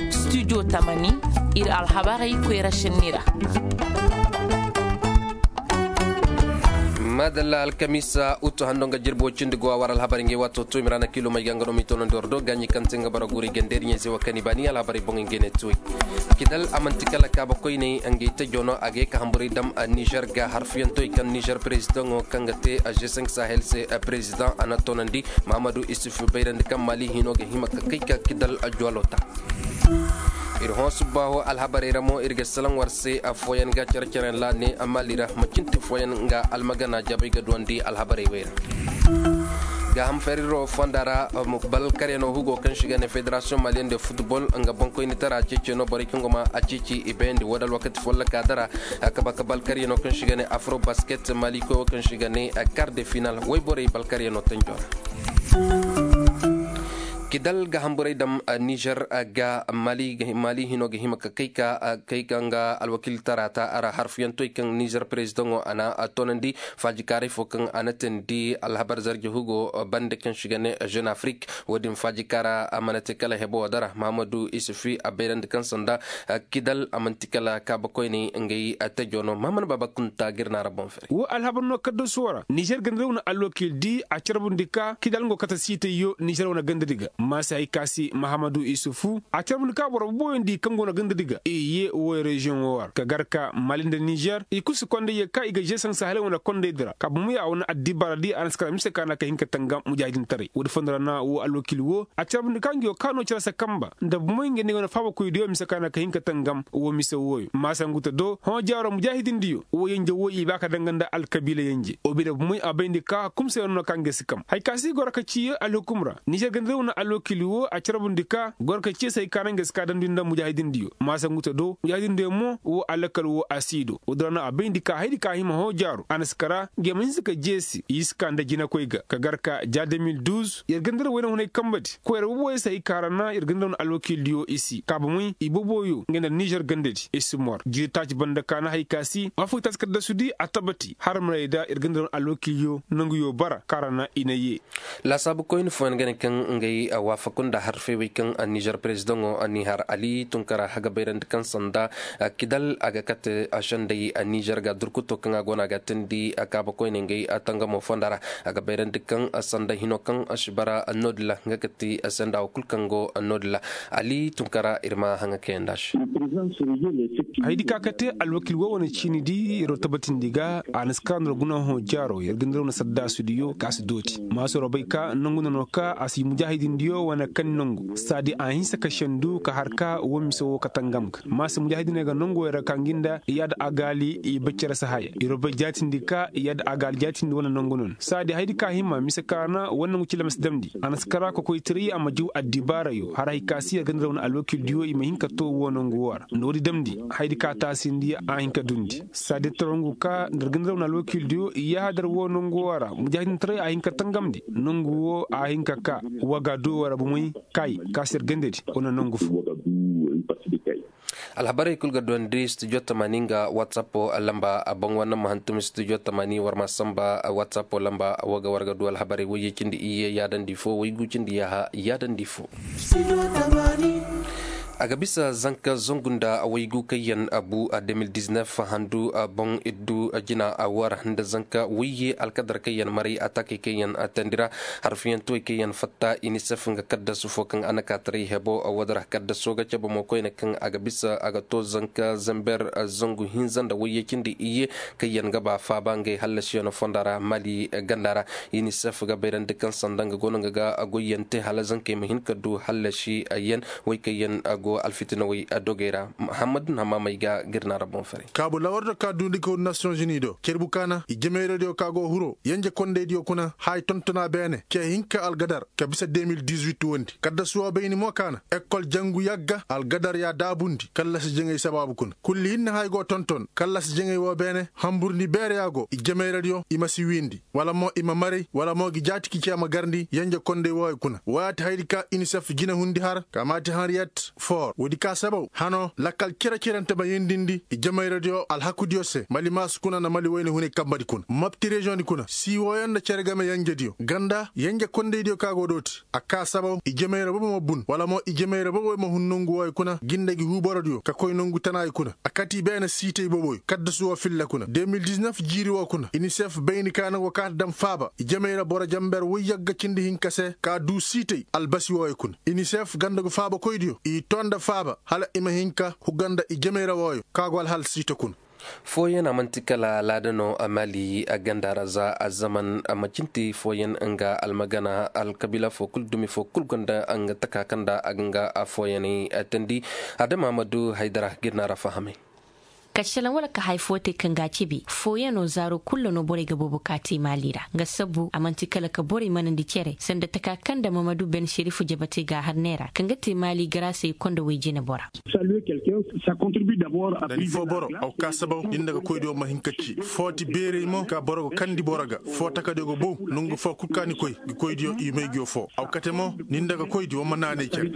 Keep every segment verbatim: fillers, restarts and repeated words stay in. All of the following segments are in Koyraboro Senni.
Studio tamani, ir alhabarey koyra šenni ra. Maadalla, alkamiisa utu hando nga jirbi woy cindi go a war alhabarey ngey waato to i ma ra na kiilo may ga nga no m'i toonandi war do gaaɲi kaŋ te nga bara guuri gandeeri ɲayze wa kani baani alhabarey boŋey ngey ne tuwey. Kidal a man'ti kala kaaba koyney ngey tajo no a ga ye ka hamburey dam nizer ga harfuyantoy kaŋ nizer perezidaŋo kaŋ ga te g cinq sahel se. Perezidaŋ a na toonandi mahamadu isuf bayrandi kaŋ maali hino ga hima ka kay ka kidal jwalo ta. Ir hõ subbaaho alhabarey ra mo ir ga salaŋ war se. Affooyaŋ ga care-careyaŋ ra ne maali ra macinti fooyaŋ nga almagana jabay ga duwandi alhabarey wey ra. Gaaham feriro fonda ra balkaryano hugo kaŋ si ga ne federasiyoŋ maliyaŋ de futbol nga boŋkoynitara ceeci no borey kaŋ go ma a ceeci i bayandi woo da alwakati folloka dara. A kaba ka balkaryano kaŋ si ga ne afro basket mali koy wo kaŋ si ga ne kar de final woy borey balkaryano tanjo ra. Kidal ga hamburey dam nizer ga mali hino ga hima ka kay ka kay ka nga alwakiltara ta a ra harfuyantoy kaŋ nizer perezidaŋo a na toonandi faajikaaray fo kaŋ a na teendi alhabar zarje hugo bande kaŋ si ga ne jeune afrik. Wo-din faajikaara a mana te kala hebo wo dara mahamadu isufi a bayrandi kaŋ sanda kidal a man'ti kala kaaba koyney ngey tajo no mahamadu baaba kunta ga ir na ra boŋ fere. Wo alhabar no kaddasu wo ra nizer ganda ra wane alwakil di a carbundi ka kidal nga kate siitayyo nizer wane ganda di ga maasa hay ka se mahamadu isufu a carbundi ka boro boboyoŋ di kaŋ go no ganda di ga i ye wo reziyoŋo wo ra ka gar ka mali nda nizer i kulu si kondayye ka i ga zeesaŋ sahalay wane kondaydi ra ka bomoy a wane addibaara di a na si kara mise ka na ka hin ka tangam mujaahidintaray woodi fondo ra na wo alwakil wo a carbundi ka nga yo ka no care se kamba nda bomoy nga ne wane faabakoydiyo mise ka na ka hin ka tangam wo mise wooyo maasa ngu ta do hõ jaaro mujaahidindiyo wo yenje wo i ba ka danga nda alkabiila yenje wo bine bomoy a bayndi ka kumsayano no ka nga si kam hay ka si goro ka ci alhukum ra nizer ganda ra wane alwakil wo a carbundi ka goro ka ci se hay ka na nga si ka damndi nda mujaahidindiyo maasa ngu ta do mujaahidindiyo mo wo alakal wo a si do woodi ra no a bayndi ka haydi ka hima hõ jaaro a na si kara nga i ma hinsa ka jeesi i si ka nda jinakoy ga ka gar ka ja deux mille douze yer ganda ra wayne hunay kamba di koyra boboyo se hay ka ra na yer ganda ra wane alwakildiyo i si kaaba moy i boboyo nga nda nizer ganda di i si mor jiiri taaci banda ka na hay ka si afo i taasi kaddasudi a tabati har maray da yer ganda ra wane alwakilyo nanguyo bara ka ra na i na ye. Laasaabu koyne fooyaŋ ga ne kaŋ ngey waafaku nda harfey wey kaŋ nizer perezidaŋo ni har ali tunkara a ga bayrandi kaŋ sanda kidal a ga kate sendey nizer ga durkuto kaŋ a go no a ga teendi kaaba koyne ngey tangamo fonda ra a ga bayrandi kaŋ sanda hino kaŋ si bara no- din ra nga ga ti senda wo kulu kaŋ go no- din ra ali tunkara ir ma haŋa kayandi a se. Haydi ka ka te alwakil wo wane ciini di yer wo tabatindi ga a na si kara no ra guna hõ jaaro yer ga nda ra wane saddaasu diyo ka si dooti maasoro bay ka nangu nono ka a si mujaahidin diyo wane kani nangu saadi a hinsa ka sendu ka har ka wo mise wo ka tangam ga maasa mujaahidiney ga nangu wo yer ga ka ngi nda yaada agaali i baccere si haya yer wo bay jaatindi ka yaada agaali jaatindi wane nangu nono saadi haydi ka hima mise ka na wane nangu cila ma si damndi a na si kara kokoytaray a ma jiw addibaarayo har hay ka si yer ga nda ra wane alwakil diyo i ma hin ka to wo nangu wo ra nda woodi damndi haydi ka taasindi a hin ka dundi saadi tarangu ka nda yer ga nda ra wane alwakil diyo i yaahadar wo nangu wo ra mujaahidintaray a hin ka tangamndi nangu wo a hin ka ka waga do wo ra bomoy kay ka si yer gandadi wane nangu fo. Alhabarey kul ga duwandi studio tamani nga whatsapp lamba boŋ war na ma hantum studio tamani war ma samba whatsapp lamba wo ga war ga du alhabarey wayye cindi iyye yaadandi fo waygu cindi yaaha yaadandi fo. A ga bisa zanka zangu nda waygu kaŋ yaŋ bu deux mille dix-neuf handu boŋ iddu jina war nda zanka wayye alkadar kaŋ yaŋ maray atakey kaŋ yaŋ tandi ra harfiyantuwey kaŋ yaŋ fatta inisef nga kaddasu fo kaŋ a na ka taray hebo wo- din ra kaddaso ga cabe mo koyne kaŋ a ga bisa a ga to zanka zamber zangu hinza nda wayye cindi iyye kaŋ yaŋ ga ba faaba ngey hallasiyano fonda ra mali ganda ra inisef ga bayrandi kaŋ sanda nga go no nga ga goyyaŋ te hala zankey ma hin ka du hallasi yaŋ wey kaŋ yaŋ go alfitinawey dogey ra. Hammadu na hammamey ga ga ir na ra boŋ fere. Kaabu lawardo ka duundi ka huru nasiyoŋ zuni do cerbu ka na i jamayradiyo ka go huro yanje kondaydiyo kuna haya tontona beene ce hinka algadar ka bisa deux mille dix-huit wondi kaddasu wo bayni mo ka na ekol jangu yagga algadar ya daabundi kallasi jaŋay sabaabu kuna kulli hinne haya go tonton kallasi jaŋay wo beene hamburndi beere ya go i jamayradiyo i ma si wiindi wala mo i ma maray wala mo gi jaati ki ce ma garndi yanje konday wooyo kuna wooyaati haydi ka inisef jina hundi har ka maati hanriyat fo. Woodi ka sabaw hano lakkal cere-cerente ma yendindi i jamayradiyo alhakudiyo se mali maasu kuna nda mali wayne hunay kambadi kuna mapti reziyoŋdi kuna sii wooyaŋ nda cere game yenjediyo ganda yenje kondaydiyo ka go dooti. A ka sabaw i jamayra bobo ma bun wala mo i jamayra boboyo ma hun nongu wooyo kuna jinda gi huuborodiyo ka koy nongu tanaayo kuna. A kati beene siitay boboyo kaddasu woo filla kuna de mil diznef jiiri woo kuna inisef bayni ka na go kaati dam faaba i jamayra boro jamber woy yagga cindi hinka se ka duu siitay albasi wooyo kuna. Inisef ganda go faabakoydiyo i too nda faaba hala i ma hin ka huga nda i jamey ra wooyo ka go alhal siita kuna. Fooyaŋ a man'ti kala laada no a maali a ganda ra za a zaman a ma cinti fooyaŋ nga almagana alkabiila foo kul dumi foo kul gonda nga taka kaŋ nda a ga nga fooyaŋey teendi. Adama ma du haydara ga ir na ra fahamay. Kašalaŋ wala ka haya foo te kaŋ ga a cebe fooyaŋo zaaro kul ra no borey ga boobo ka te maali ra nga sabbu a man'ti kala ka borey manandi cere sanda taka kaŋ nda mamadu ben šerifu jabatey ga a har neera kaŋ ga te maali garaasey konda woy jinebora. Da ni foo boro aw ka sabaw ni nda ga koydiyo ma hin ka ci foo ti beerey mo ka boro ga kandi boro ga foo takadiyo ga bow nongu foo kul ka ni koy ga koydiyo i may nguyo foo aw kate mo ni nda ga koydi wa ma naanay cere.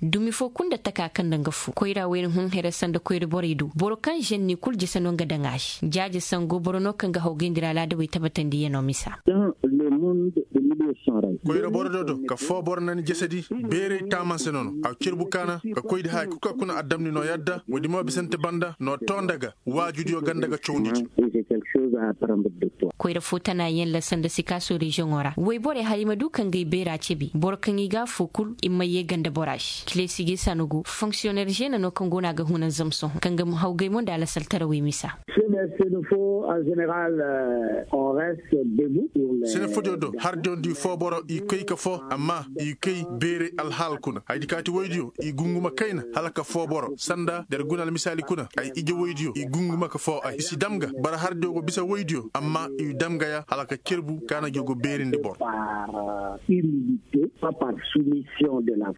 Dumi foo kul nda taka kaŋ nda nga fu koyra wayna hun here sanda koyra borey do boro kaŋ ženni kul jese no nga daŋ a se jaaje sango boro no kaŋ ga hawgayndi ra laadawey tabatandiyano misa. Koyra boro do do ka foo boro na ni jesedi beerey taaman se no no a cirbu kaana ka koydi haya kul ka kuna a damndi no yadda woodi mo bisante banda no too nda ga waajudiyo ganda ga cawndi. Koyra foo tana yaŋ la sanda sikaaso reziyoŋo ra woy borey hala i ma du ka ngey beera cebi boro kaŋ i ga a foo kul i ma yee ganda bora se kileesi ga i sanu go fonksiyoner zeena no kaŋ go no a ga huna zam sohõ kaŋ ga hawgay mo nda alasaltarawey misa. Sene foodiyo do hardiyo nda i foo boro i koy ka foo amma i koy beerey alhaal kuna hayadi kaati woydiyo i gunguma kayna hala ka foo boro sanda der guna almisaali kuna ay ije woydiyo i gunguma ka foo ay i si dam ga bara hardiyo go bisa woydiyo amma i dam ga ya hala ka cerbu ka na jogo beerindi boro.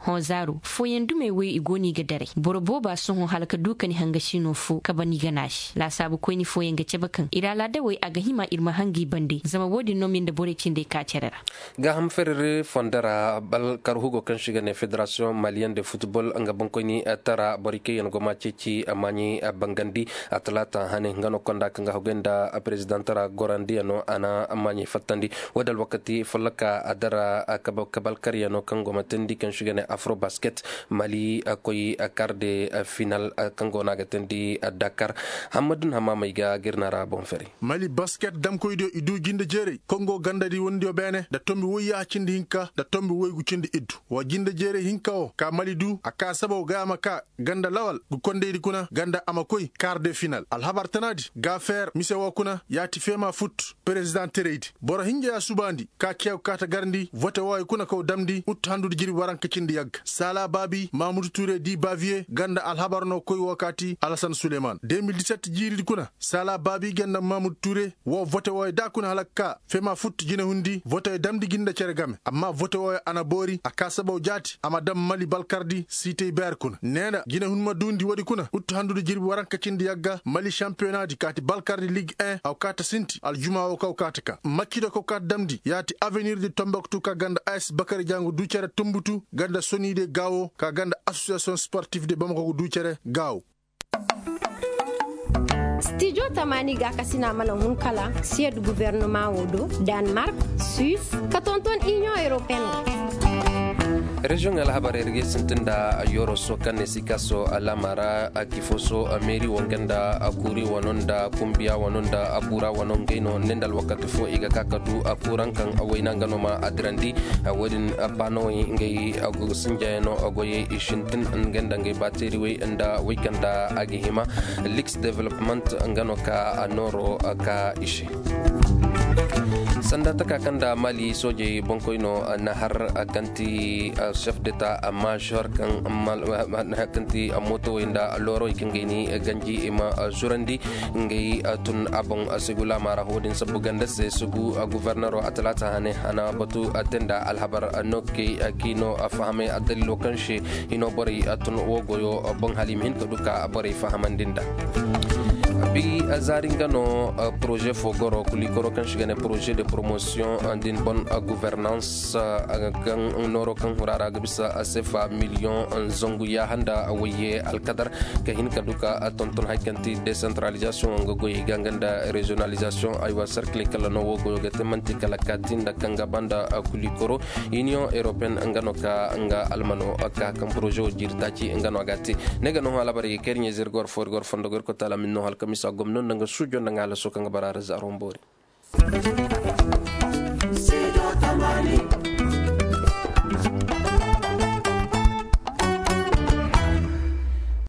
Hõ zaaru fooyaŋ dumey wey i go no i ga daray boro booba sohõ hala ka du ka ni hangasiino foo ka ban i gana se laasaabu koyni fooyaŋ ga cabe kaŋ ir alaadawey a ga hima ir ma hanga i bande zama wo-din no ma ir nda borey cindey ka cere ra. Gaaham ferere fondo ra bal karhugo kaŋ se ga ne federasiyoŋ maliyen de futbol nga boŋkoyni tara borey kaŋ yaŋ go ma ceeci maaɲey bangandi. Atalaata hane nga no konda kaŋ ga hagay nda perezidaŋ tara gorandiyano a na maaɲey fattandi. Wo- din alwakati folloka a dara kabalkaryano kaŋ go ma teendi kaŋ se ga ne afrobasket mali koy kar de final kaŋ go no a ga teendi dakar. Hammadu na hamaamey ga ga ir na ra boŋ fere. Mali basket damkoydiyo i du jinde jeeray kongo gandadi wondiyo beene nda tombi woy yaaha cindi hinka nda tombi woygu cindi iddu wa jinde jeeray hinka wo ka mali du a ka sabaw ga a ma ka ganda lawal ga kondaydi kuna ganda a ma koy kar de final alhabar tanaadi gaafeer mise wo kuna yaati feema fut. Perezidaŋ teraydi boro hinja ya subaandi ka ceew kaata garndi vote wooyo kuna kaw damndi ut handudi jirbi waranka cindi yagga saala baabi maamudu ture di baviye ganda alhabar no koy wo kaati alasan suleyman de mil diset jiiridi kuna saala baabi ganda maamudu ture wo vote wooyo da kuna hala ka ka fema futti jinehundi vote damndi gi nda cere game amma vote wooyo a na boori a ka sabaw jaati a ma dam mali balkardi siitey beer kuna nee nda jinehundi ma duundi woodi kuna utti handude jirbi waranka cindi yagga mali šampiyonaadi kaati balkardi lig en aw kaata sinti aljumaa woo kaw kaata ka maccido kaw kaata damndi yaati avenir de tomboktu ka ganda as bakari jangu duu cere tumbutu ganda sonii de gaawo ka ganda asosiyasiyoŋ sportif de bamako gu duu cere gaawo. Stijo tamaani gaakasina mana hun kala siyed guvernumaŋo do, danmark, suis, ka tonton iniyoŋ europeen. Reziyoŋ alhabarey ra ga ay sintin nda yoroso kaŋ ne sikaso alaama ra akifoso meeri wo nga nda kuuri wano nda kumbiya wano nda buura wano ngey no ne nda alwakati fo i ga ka ka du kuuraŋ kaŋ wayna nga no ma adirandi. Wo- din baanawey ngey sinjayano goyey i sintin nga nda ngey baateeriwey nda wey kaŋ nda a ga hima. Liks development nga no ka nooro ka i se. Sanda taka kaŋ nda mali soojey boŋkoyno na har kaŋ ti chef deta amma shor kaŋ ti mootowey nda loorowey kaŋ gay ni ganji i ma zurandi. Ngey tun a boŋ sugu laama ra ho- din sabbu ganda se sugu guvernero a talaata hane a na batu te nda alhabar no kay kiino fahamay addalilo kaŋ se hino borey tun wo goyo boŋ hala i ma hin ka du ka borey fahamandi nda. Bi zaari nga no poroze fo goro kulikoro kaŋ si ga ne poroze de promotion din bon guvernans, kaŋ nooro kaŋ hurara ga bisa sefa miliyoŋ zangu yaaha nda wayye alkadar ka hin ka du ka tonton hari kaŋ ti desantaralizasiyoŋ nga goyey ga nga nda reziyonalizasiyoŋ aywa sarkiley kala no wo goyo ga te manti kala kaati nda kaŋ ga banda kulikoro. Iniyoŋ europeyen nga no ka nga almano ka kaŋ poroze wo jiiri taaci nga no a ga te. Ne ga no hã alabari ga kay iri ɲayze iri ga war fo iri ga war fondo ga iri koy taala min no halkamisa gomno nda nga suujo nda nga halaso kaŋ ga bara ra zaaro mboori.